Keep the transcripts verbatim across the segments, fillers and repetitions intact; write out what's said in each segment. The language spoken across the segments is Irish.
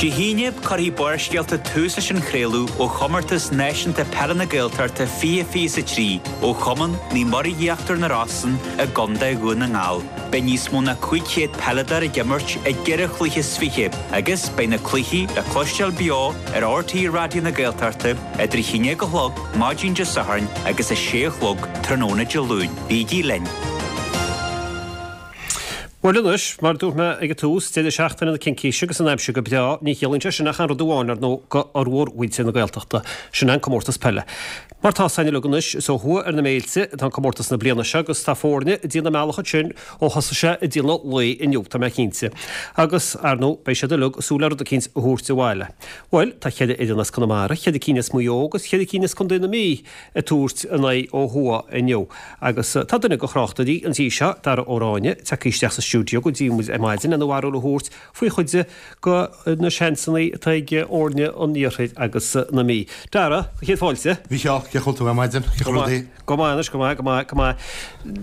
Dé hAoine cuirfidh Barrscéalta tús leis an chraoladh ó chomórtas náisiúnta peile na Gaeltachta fiche fiche a trí ó Chumann Naomh Muire Íochtar na Rosann i gContae Dhún na nGall. Beidh níos mó ná cúig chéad peileadóir ag imirt i gceithre chluiche is fiche, agus beidh na cluichí le cloisteáil beo ar RTÉ Raidió na Gaeltachta idir a haon déag a chlog maidin Dé Sathairn agus a sé a chlog tráthnóna Dé Luain. Bígí linn. Bhuel anois, mar dúirt mé ag an tús, deireadh seachtaine na Cincíse agus an aimsir go breá, ní chiallaíonn sé sin ach an rud amháin ar ndóigh go fhormhór mhuintir na Gaeltachta, sin an comórtas peile. Mar tá a fhios againn uilig anois, is ó thuaidh ar na méilte atá an comórtas na bliana seo agus tá foirne ag déanamh a mbealach ansin ó thosaigh sé ag déanamh lae inniu, tá mé cinnte. Agus, ar ndóigh, beidh siad uilig ag súil le rud eicínt a thabhairt abhaile. Bhuel, tá ceithre fhoireann as Conamara, ceithre cinn as Maigh Eo agus ceithre cinn as Contae na Mí ag tabhairt a n-aghaidh ó thuaidh inniu. Agus tá duine de thráchtairí an tí seo, Dara Ó Ráinne, tagtha isteach sa stiúideo go dtí muid ar maidin lena bharúil a thabhairt faoi chuid de na seansanna atá ag fhoirne an Iarthair agus na Mí. Dara, céad fáilte. Mhícheál, cén chaoi a bhfuil tú ar maidin? Cén chaoi rudaí? Go maith anois, go maith, go maith, go maith.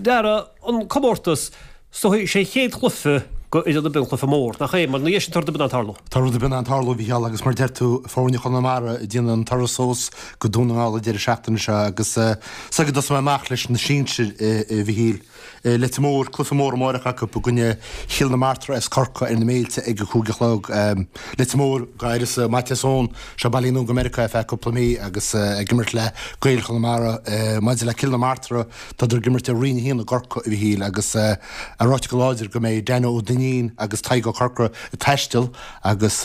Dara, an comórtas, so sé chéad chluiche go idir na b'in cluiche mór, nach é, mar ina dhiaidh sin tá rud ar bith in ann tarlú. Tá rud ar bith in ann tarlú, a Mhícheál, agus mar deir tú, foirne Chonamara ag déanamh an turas suas go Dún na nGall an deireadh seachtaine seo agus is dóigh go dtosóidh mé amach leis na sinsir, a Mhíchíl. Leitir Móir, cluiche mór amáireach acu i gcoinne Chill na Martra as Corcaigh ar na Méilte ag a cúig a chlog. Leitir Móir, go háirithe Maitias Eoin, seo bailithe anonn go Meiriceá ar feadh cúpla mí agus ag imirt le Gaeil Chonamara. Maidir le Cill na Martra, tádar ag imirt i Roinn a haon i gCorcaigh, a Mhíchíl, agus é ráite go láidir go mbeidh Danno Ó Duinnín agus Tadhg Ó Corcora ag taisteal agus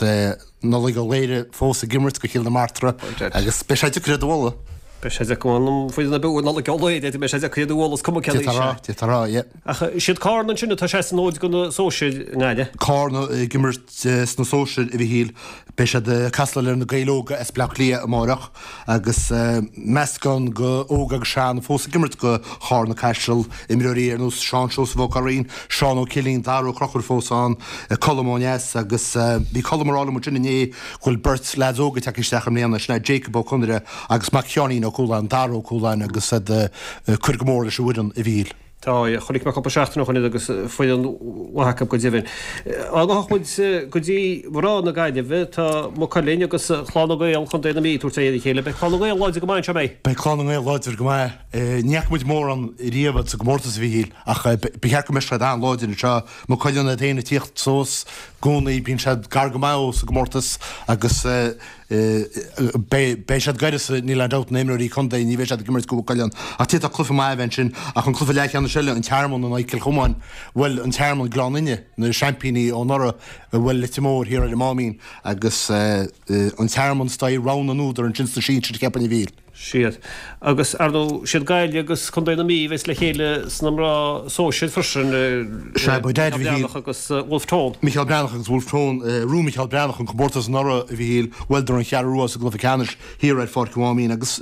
Nollaig Ó Laoire fós ag imirt go Chill na Martra agus beidh sé deacair iad a bhualadh. Beidh sé deacair an foireann ar bith Nollaig Ó Laoire, beidh sé deacair iad a bhualadh is cuma cén aois é. D'fhéadfá a rá, yeah. Ach siad Carna ansin atá sé san fhód go na sóisir i nGaillimh. Carna ag imirt sna sóisir, a Mhíchíl. Beidh siad ag castáil ar na Gaeil Óga as Bleá Cliath amáireach agus meascán go óg agus sean fós ag imirt go Charna Caiseal, imreoirí ar nós Seán Seosamh Ó Curraoin, Seán Ó Cillín, Dara Ó Conchúir fós ann, Colm Ó Neas agus bhí Colm ag rá liom ansin inné go bhfuil beirt leaids óga tagtha isteach i mbliana, sin é Jacob Ó Conaire agus mac Sheáinín Ó Cualáin, Dara Ó Cualáin agus iad ag cur go mór leis an bhfoireann, a Mhíchíl. Tá, chonaic mé cúpla seachtain ó shoin iad agus foireann mhaith acu go deimhin. Dá ngabhfadh muid go dtí mná na Gaillimhe, tá Maigh Cuilinn agus Clann na nGael Chontae na Mí ag tabhairt aghaidh ar a chéile. Beidh Clann na nGael láidir go maith anseo, an mbeidh? Beidh Clann na nGael láidir go maith. Ní fhaca muid mórán riamh iad sa gcomórtas, a Mhíchíl, ach ba cheart go mbeadh siad an-láidir anseo. Maigh Cuilinn iad féin ag tíocht suas i gcónaí, bíonn siad gar go maith sa gcomórtas agus Beidh siad d'uireasa, níl aon dabht, na himreoirí contae, ní bheidh siad ag imirt go Maigh Cuilinn. Ach d'fhéadfadh cluiche maith a bheith ansin. Ach an cluiche leathcheannais eile, an Tearmann in aghaidh Cill Chomáin, bhuail an Tearmann Gleann Fhinne, na seaimpíní ó anuraidh, a bhuail Leitir Móir thiar ar an Máimín agus an Tearmann is dóigh rogha na n-údar ansin sna sinsir, cheapfainn, a Mhíchíl. Siad. Agus, ar ndóigh, siad Gaillimh agus Contae na Mí a bheas le chéile sna mná sóisir freisin, Sea, ba Micheál Breathnach agus Wolfe Tone. Micheál Breathnach agus Wolfe Tone. Bhuaigh Micheál Breathnach an comórtas anuraidh, a Mhíchíl, bhuaileadar an Cheathrú Rua sa gcluiche ceannais thiar ar Pháirc an Mháimín agus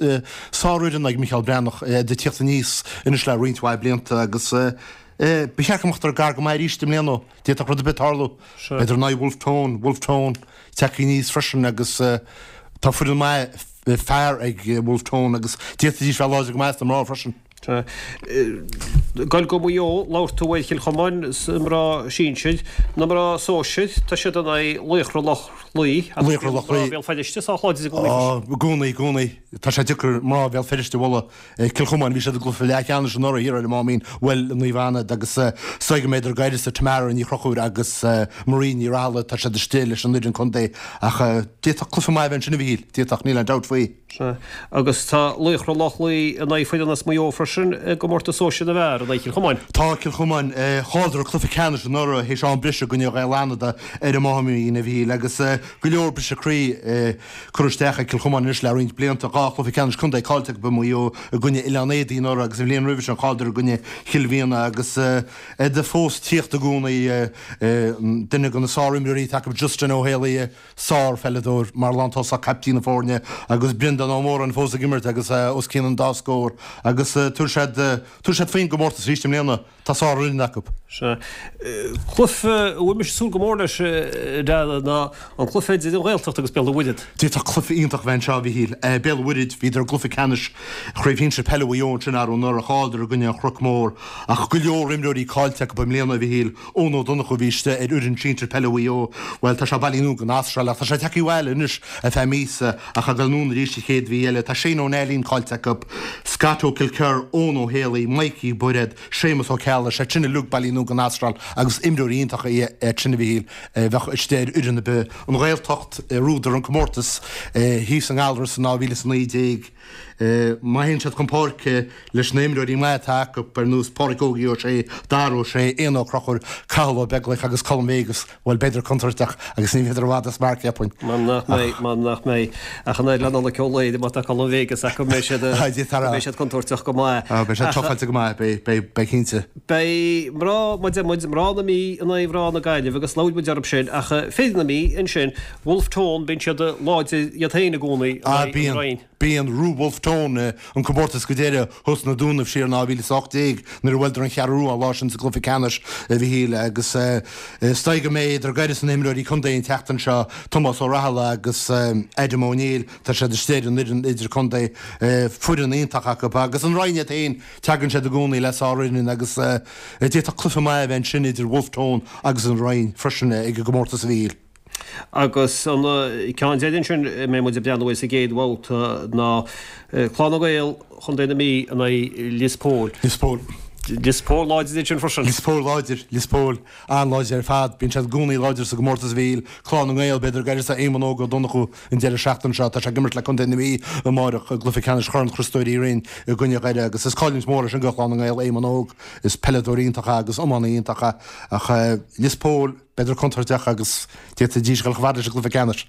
sárfhoireann ag Micheál Breathnach, iad ag tíocht aníos anois le roinnt mhaith blianta agus ba cheart go mbeadh gar go maith arís i mbliana. D'fhéadfadh rud ar bith tarlú. B'fhéidir in aghaidh Wolfe Tone, Wolfe Tone tagtha aníos freisin agus tá foireann maith fear ag Wolfe Tone agus d'fhéadfaidís bheith láidir go maith sna mná freisin. Goil go Maigh Eo, labhair tú ar Chill Chomáin sna mná sinsir, na mná sóisir, tá siad in aghaidh Laochra Loch Lao agus Laochra Loch Lao. Mná Bhéal Feirste sách láidir i gcónaí freisin. Á, i gcónaí, i gcónaí. Tá sé deacair mná Bhéal Feirste a bhualadh. Cill Chomáin, bhí siad i gcluiche leathcheannais anuraidh thiar ar an Máimín, bhuail Naomh Anna iad agus is dóigh go mbeidh d'uireasa Tamara Ní Chonchúir agus Marie Ní Raghallaigh, tá siad istigh leis an fhoireann contae ach d'fhéadfadh cluiche maith a bheith ansin a Mhíchíl, d'fhéadfadh, níl aon dabht faoi. Sea, agus tá Laochra Loch Lao in aghaidh foireann as Maigh Eo freisin i gcomórtas sóisir na bhfear in aghaidh Chill Chomáin. Tá Cill Chomáin, chailleadar cluiche ceannais anuraidh théis am breise i gcoinne Ghaeil Fhánada ar an Máimín a Mhíchíl agus go leor briseadh croí. Curtha isteach ag Cill Chomáin anois le roinnt blianta, dhá chluiche ceannais contae caillte acu i Maigh Eo i gcoinne Oileán Éadaí anuraidh agus an bhliain roimhe sin chailleadar i gcoinne Chill Mhianna agus iad fós ag tíocht i gcónaí. Duine de na sárimreoirí atá acu Justin Ó Héalaí, sárpheileadóir mar lántosach, caiptín na foirne agus Breandán Ó Móráin fós ag imirt agus os cionn an dá scór agus tabharfaidh tabharfaidh siad, tabharfaidh siad faoin gcomórtas arís i mbliana. Tá sárfhoireann acu. Sea. Cluiche a bhfuil mise ag súil go mór leis, a Dhara, ná an cluiche idir an Ghaeltacht agus Béal an Mhuirthead. D'fhéadfadh cluiche iontach a bheith anseo, a Mhichíl. Béal an Mhuirthead, bhíodar i gcluiche ceannais Chraobh Shinsir Peile Mhaigh Eo ansin arú anuraidh, chailleadar i gcoinne an Chnoic Mór. Ach go leor imreoirí caillte acu i mbliana, a Mhichíl. Eoin Ó Donnchú a bhí istigh ar fhoireann sinsir peile Mhaigh Eo, bhuel, tá sé bailithe anonn gon Astráil ach tá sé tagtha abhaile anois ar feadh míosa ach ag dul anonn arís an chéad mhí eile. Tá Shane Ó Neilín caillte acu, Scott Ó Kilkerr, Eoin Ó Héalaí, Mikey Bairéad, Séamus Ó Ceallaigh, siad sin uilig bailithe anonn gon Astráil agus imreoirí iontacha iad sin a Mhichíl a bheadh istigh ar fhoireann ar bith. An Ghaeltacht, bhuadar an comórtas thíos i nGallaras in dhá mhíle is a naoi déag. Má théann siad chun páirce leis na himreoirí maithe atá acu, ar nós Pádraic Ógie Ó Sé, Dara Ó Sé, Éanna Ó Conchúir, Cathal Ó Beaglaoich agus Colm Vegas, bhuel, beidar contúirteach agus ní bheidar i bhfad as marc, cheapfainn. Mar nach mbeidh, mar nach mbeidh. Ach an oiread le Nollaig Ó Laoire, má tá Colm Vegas acu, beidh siad, beidh siad contúirteach go maith. Beidh siad tufáilte go maith, beidh, beidh, beidh cinnte. Beidh mná, mar a deir muid, mná na Mí in aghaidh mhná na Gaillimhe agus labhair muid orthu sin, ach fir na Mí ansin, Wolfe Tone, bíonn siad láidir iad féin i gcónaí in aghaidh an Rinn. Bíonn. Bhuaigh Wolfe Tone an comórtas go deireadh thuas sna Dúnaibh siar in dhá mhíle is a hocht déag nuair a bhuaileadar an Cheathrú Rua an lá sin sa gcluiche ceannais, a Mhichíl, agus is dóigh go mbeidh idir go leor de na himreoirí contae an tseachtain seo, Tomás Ó Rathaille agus Adam Ó Néill, tá siad istigh ar an fhoireann idirchontae, foireann iontach acu agus an Rinn iad féin, tagann siad i gcónaí le sárfhoireann agus d'fhéadfadh cluiche maith a bheith ansin idir Wolfe Tone agus an Rinn freisin ag an gcomórtas, a Mhichíl. Agus an ceann deiridh ansin a mbeidh muid ag breathnú air sa gcéad bhabhta ná Clanna Gael Chontae na Mí in aghaidh Lios Póil. Lios Póil. Lios Póil láidir ansin freisin. Lios Póil láidir, Lios Póil an-láidir ar fad. Bíonn siad i gcónaí láidir sa gcomórtas a Mhichíl. Clann na nGael, b'fhéidir gur éirigh Éamonn Óg Ó Donnchú an deireadh seachtaine seo. Tá sé ag imirt le Contae na Mí amáireach i gcluiche ceannais Chorn Chriostóir Uí Rinn i gcoinne Dhoire agus is cailliúint mhór é sin do Chlann na nGael, Éamonn Óg. Is peileadóir iontach é agus iománaí iontach é ach Lios Póil, B'fhéidir contúirteach agus d'fhéadfaidís dul chomh fada leis an gcluiche ceannais.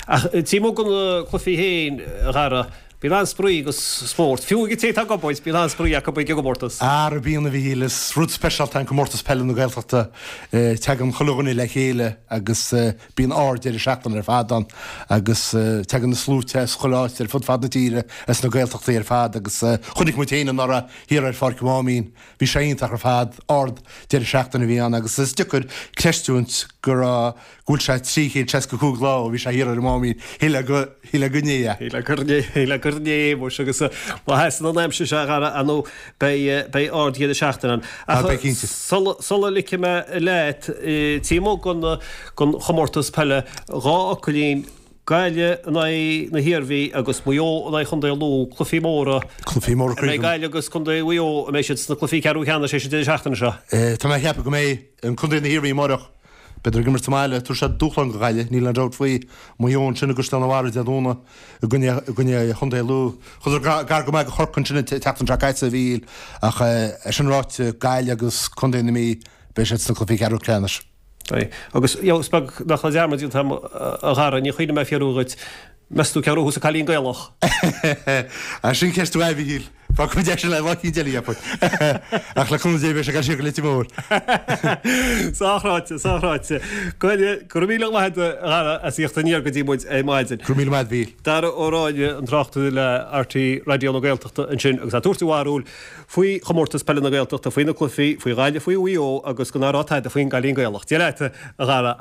Ach taobh amuigh de na cluichí féin, a Dhara, bíonn an-spraoi agus spórt. Fiú ag an té atá ag obair, bíonn an-spraoi acu ag an gcomórtas. Ara bíonn, a Mhichíl, is rud speisialta é an comórtas peile na Gaeltachta. Tagann chuile dhuine le chéile agus bíonn ard-deireadh seachtaine ar fad ann agus tagann na sluaite as chuile áit ar fud fad na tíre, as na Gaeltachtaí ar fad agus chonaic muid féin anuraidh thiar ar Pháirc an Mháimín, Bhí sé iontach ar fad, ard deireadh seachtaine a bhí ann agus is deacair creistiúint go raibh, go bhfuil sé trí chéad seasca cúig lá ó bhí sé thiar ar an Máimín, shílfeá go, shílfeá gur inné é. Shílfeá gur inné, shílfeá gur inné é muis agus má sheasann an aimsir seo a Dhara, ar ndóigh beidh, beidh ard dheireadh seachtaine ann. Ah, beidh cinnte. Sula, sula ligfidh mé leat, taobh amuigh den, den chomórtas peile, dhá fhocailín, Gaillimh in aghaidh na hIarmhí agus Maigh Eo in aghaidh Chontae Lú, cluichí móra. Cluichí móra An mbeidh Gaillimh agus Contae Mhaigh Eo, an mbeidh siad sna cluichí ceathrú ceannais an deireadh seachtaine seo? Tá mé ag ceapadh go mbeidh. An Contae na hIarmhí amáireach, beidh ag imirt sa mbaile, tabharfaidh siad dúshlán do Ghaillimh, níl aon dabht faoi. Maigh Eo ansin i gCaisleán an Bharraigh Dé Domhnaigh i gcoinne i gcoinne Chontae Lú. Chuadar gar go maith do Chorcaigh ansin an tseachtain seo caite, a Mhichíl, ach é sin ráite, Gaillimh agus Contae na Mí, beidh siad sna cluichí ceathrú ceannais. Beidh. Agus, you know, is beag nach raibh dearmad déanta agam, a Dhara, níor chuimhnigh mé fiafraí dhuit, meas tú cé a ghnóthós an Cailín Gaelach? Ah, sin ceist mhaith, a Mhichíl. Fágfaidh muid é sin le lá eicínt eile, cheapfainn. Ach le cúnamh Dé beidh sé ag dul siar go Leitir Móir. Sách ráite, sách ráite. Go raibh míle maith agat, a Dhara, as a thíocht aniar go dtí muid ar maidin. Go raibh míle maith agat, a Mhichíl. Dara Ó Ráinne, an tráchtaire le RTÉ Raidió na Gaeltachta ansin agus é ag tabhairt a bharúil faoi chomórtas peile na Gaeltachta, faoi na cluichí, faoi Ghaillimh, faoi Mhaigh Eo agus go ná raibh tada faoin gCailín Gaelach. Dia leat, a Dhara.